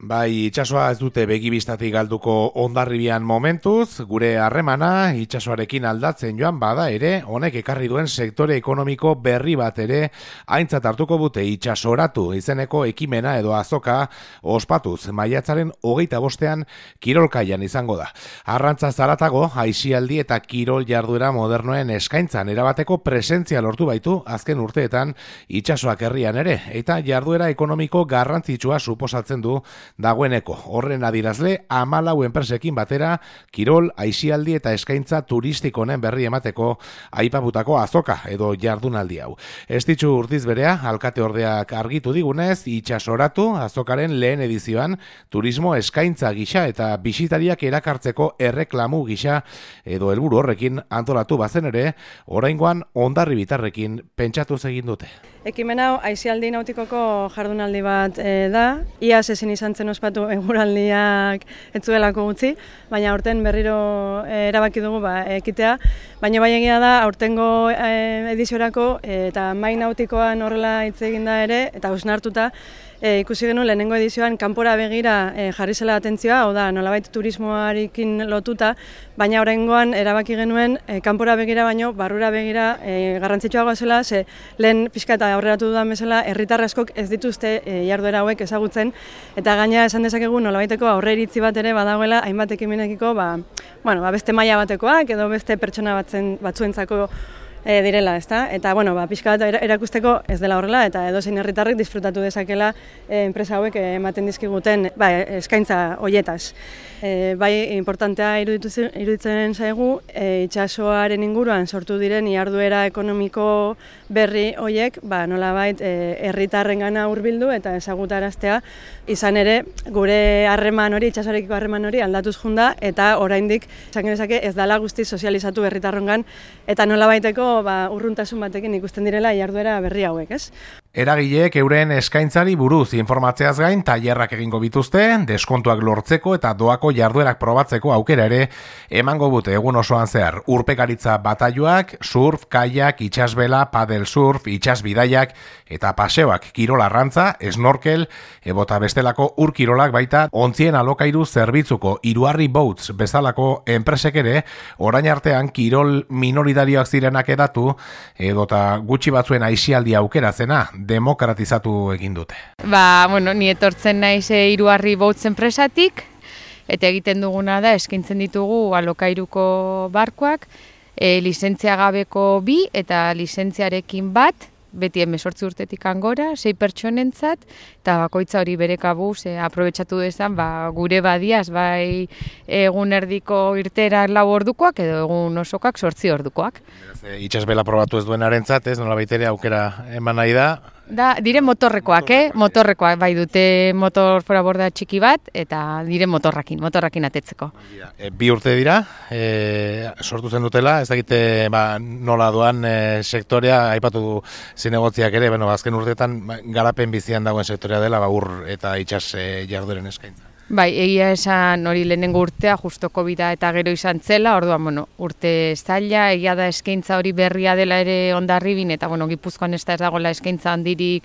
Bai, itsasoa ez dute begibistatik galduko Hondarribian momentuz, gure harremana itsasoarekin aldatzen joan bada ere, honek ekarri duen sektore ekonomiko berri bat ere aintzat hartuko dute itsasoratu izeneko ekimena edo azoka ospatuz maiatzaren 25ean kirolkaian izango da. Arrantza zaratago, aisialdi eta kirol jarduera modernoen eskaintzan erabateko presentzia lortu baitu azken urteetan itsasoak herrian ere, eta jarduera ekonomiko garrantzitsua suposatzen du dagoeneko. Horren adirazle 14 enpresekin batera kirol, aisialdi eta eskaintza turistiko honen berri emateko aipatutako azoka edo jardunaldi hau. Estitxu urtiz berea, alkate ordeak argitu digunez, itsasoratu azokaren lehen edizioan turismo eskaintza gisa eta bisitariak erakartzeko erreklamu gisa edo helburu horrekin antolatu bazen ere, oraingoan Hondarribitarrekin pentsatu egin dute. Ekimen hau aisialdi nautikoko jardunaldi bat da. Iaz ezin izan zen ospatu eguraldiak ez zuelako utzi, baina aurten berriro erabaki dugu ekitea. Baina bai egia da aurtengo ediziorako eta mai nautikoan horrela hitz egin da ere eta hausnartuta ikusi genuen lehenengo edizioan kanpora begira jarri zela atentzioa, hau da nolabait turismoarekin lotuta, baina oraingoan erabaki genuen kanpora begira baino barrura begira garrantzitsuagoa zela, ze lehen pixka eta aurreratu dudan bezala herritar askok ez dituzte jarduera hauek ezagutzen eta gaina esan dezakegu nolabaiteko aurreiritzi bat ere badagoela hainbat ekimenekiko beste maila batekoak edo beste pertsona batzuentzako direla, ezta? Eta pixka bat erakusteko ez dela horrela eta edozein herritarrek disfrutatu dezakela enpresa hauek ematen dizkiguten eskaintza hoietaz. Bai, importantea iruditzen zaigu itsasoaren inguruan sortu diren jarduera ekonomiko berri hoiek nolabait herritarrengana hurbildu eta ezagutaraztea, izan ere gure harreman hori, itsasoarekiko harreman hori aldatuz joan da eta oraindik esan genezake ez dela guztiz sozializatu herritarrongan eta nolabaiteko urruntasun batekin ikusten direla jarduera berri hauek, ez? Eragileek euren eskaintzari buruz informatzeaz gain tailerrak egingo bituzte, deskontuak lortzeko eta doako jarduerak probatzeko aukera ere emango dute egun osoan zehar. Urpekaritza batailoak, surf, kaiak, itsasbela, padel surf, itsasbidaiak eta paseoak, kirol arrantza, snorkel, ebota bestelako urkirolak baita ontzien alokairu zerbitzuko Iruarri Boats bezalako enpresek ere orain artean kirol minoritarioak zirenak edatu edota gutxi batzuen aisialdi aukera zena demokratizatu egin dute. Ni etortzen naiz Iruarri Boats enpresatik eta egiten duguna da eskaintzen ditugu alokairuko barkoak, lizentzia gabeko 2 eta lizentziarekin bat, beti 18 urtetik angora, 6 pertsonentzat, eta bakoitza hori bere kabuz aprobetxatu dezan gure badiaz, bai egun erdiko irtera 4 ordukoak edo egun osokoak 8 ordukoak. Itsasbela probatu ez duenarentzat, ez nolabait ere aukera eman nahi da. Dire motorrekoak, motorrekoak bai dute motor fora borda txiki bat eta dire motorrakin atetzeko. 2 urte dira, sortu zen dutela, ez dakite nola doan sektorea, aipatu du zinegotziak ere, azken urteetan garapen bizian dagoen sektorea dela, ur eta itsas jardueren eskaintza. Bai, egia esan hori lehenengo urtea, justo COVID-a eta gero izan zela, orduan, urte zaila, egia da eskaintza hori berria dela ere Hondarribin, eta, Gipuzkoan ez dagoela eskaintza handirik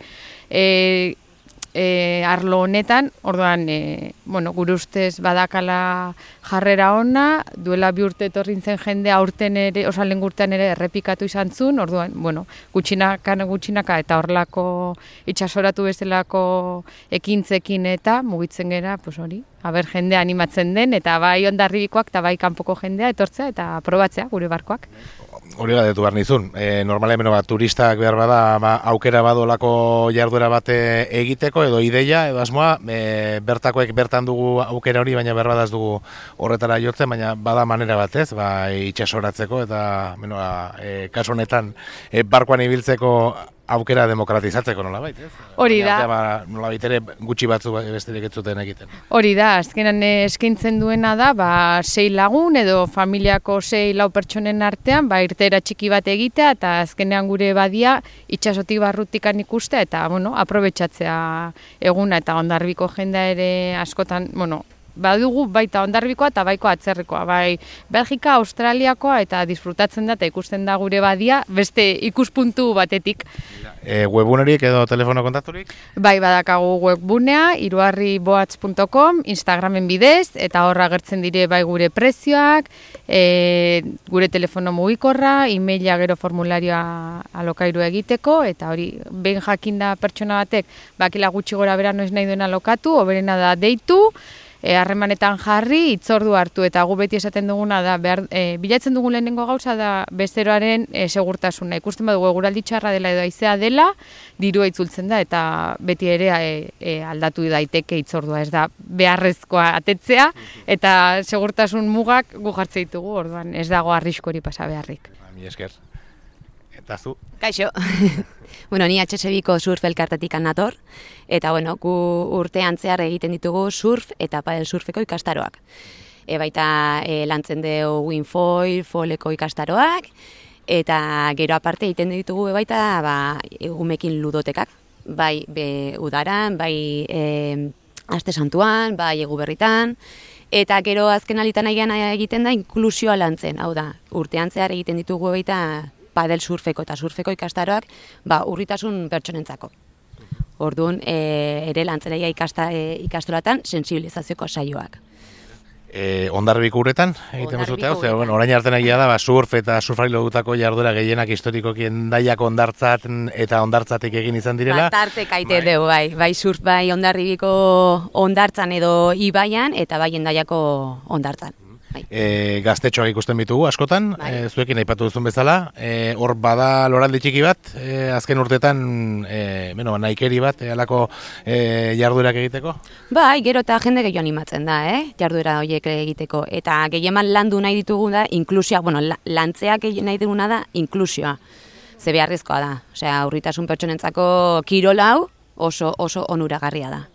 arlo honetan, orduan, gure ustez badakala jarrera ona, duela 2 urte etorrin zen jendea aurten ere, lehen urtean ere errepikatu izan zuen, orduan, gutxinaka eta horrelako itsasoratu bezalako ekintzekin eta mugitzen gera, hori, jendea animatzen den, eta bai Hondarribikoak eta bai kanpoko jendea etortzea eta probatzea gure barkoak. Hori galdetu behar nizun, normalen turistak behar bada aukera badolako jarduera bat egiteko edo ideia edo asmoa, bertakoek bertan dugu aukera hori, baina behar badaz dugu horretara jotzen, baina bada manera batez, itsasoratzeko eta kasu honetan barkoan ibiltzeko aukera demokratizatzeko nolabait, ez? Hori da. Nolabait ere gutxi batzu besterik ez zuten egiten. Hori da, azkenan eskaintzen duena da, 6 lagun edo familiako 6-4 pertsonen artean, irteera txiki bat egitea eta azkenean gure badia itsasotik barrutikan ikustea eta, aprobetxatzea eguna eta Hondarribiko jendea ere askotan, badugu baita Hondarribikoa eta baiko atzerrikoa, bai Belgika, Australiakoa eta disfrutatzen da eta ikusten da gure badia beste ikuspuntu batetik. Webunerik edo telefono kontakturik? Bai, badakagu webbunea, hiruarriboatz.com, Instagramen bidez, eta horra agertzen dire bai gure prezioak, gure telefono mugikorra, e-maila gero formularioa alokairu egiteko, eta hori, behin jakinda pertsona batek, bakila gutxi gora bera noiz nahi duen alokatu, hoberena da deitu, harremanetan jarri, hitzordu hartu, eta gu beti esaten duguna da, bilatzen dugun lehenengo gauza da bezeroaren segurtasuna. Ikusten badugu eguraldi txarra dela edo haizea dela, dirua itzultzen da, eta beti ere aldatu daiteke hitzordua, ez da beharrezkoa atetzea, eta segurtasun mugak gu jartze ditugu, orduan ez dago arriskori pasa beharrik. Mi esker. Eta zu? Kaixo. Bueno, ni HSBiko surf elkartetik nator, eta bueno, gu urtean zehar egiten ditugu surf eta padel surfeko ikastaroak. Baita lantzen dugu windfoil, foileko ikastaroak, eta gero aparte egiten ditugu baita egumekin ludotekak, bai udaran, bai aste santuan, bai eguberritan, eta gero azken alitan egiten da inklusioa lantzen, hau da, urtean zehar egiten ditugu baita padel surfeko eta surfeko ikastaroak urritasun pertsonentzako. Orduan, ere lantzeraia ikastoratan sensibilizazioko saioak. Hondarribiko uretan egiten duzute hau, orain arte egia da surf eta surfari lotutako jarduera gehienak historikoki Hendaiako hondartzat eta hondartzatik egin izan direla. Tarte kaite dugu, bai surf bai Hondarribiko hondartzan edo ibaian eta bai Hendaiako hondartzan. Gaztetxoak ikusten bitugu askotan, zuekin aipatu duzun bezala, hor bada loraldi txiki bat, azken urtetan nahikeri bat, halako jarduerak egiteko? Bai, gero eta jende gehiago animatzen da, jarduera horiek egiteko, eta gehieman landu nahi ditugu da, inklusioa, lantzeak nahi duguna da, inklusioa, ze beharrezkoa da, osea, urritasun pertsonentzako kirol hau oso onuragarria da.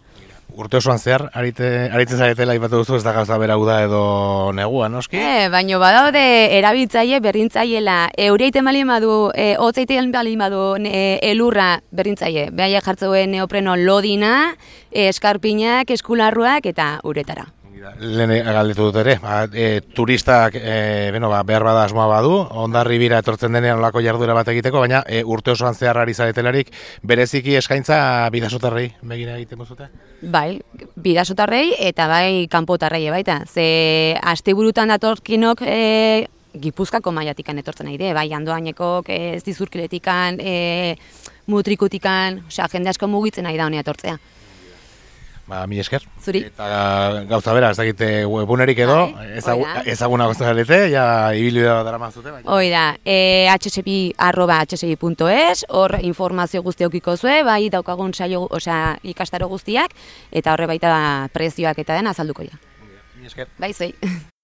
Urte osoan zehar, aritzen zaretela ipatu duzu, ez da gauza bera da edo negua, noski? Baina badaude erabiltzaile berrintzaiela, eureiten balin badu, hotzeiten balin badu elurra berrintzaile, behaiek jartzeuen neopreno lodina, eskarpinak, eskularruak eta uretara. Lehen galdetu dut ere, turistak behar bada asmoa badu, Hondarribira etortzen denean olako jarduera bat egiteko, baina urte osoan zehar ari zaretelarik bereziki eskaintza bidasotarrei begira egiten duzute? Bai, bidasotarrei eta bai kanpotarrei baita, ze asteburutan datorkinok Gipuzkako maiatikan etortzen nahi bai Andoainekok, ez Dizurkiletikan, Mutrikutikan, osea jende asko mugitzen nahi da honea etortzea. Mi esker. Zuri. Eta gauza bera, ez dakite webunerik edo, ezaguna gozta galete, ibilbidea dara mazute. Hoi da, hsbi@hsbi.es, hor informazio guzti eukiko zue, bai daukagun saio, ikastaro guztiak, eta horre baita prezioak eta den azalduko ja. Mi esker. Bai, zuei.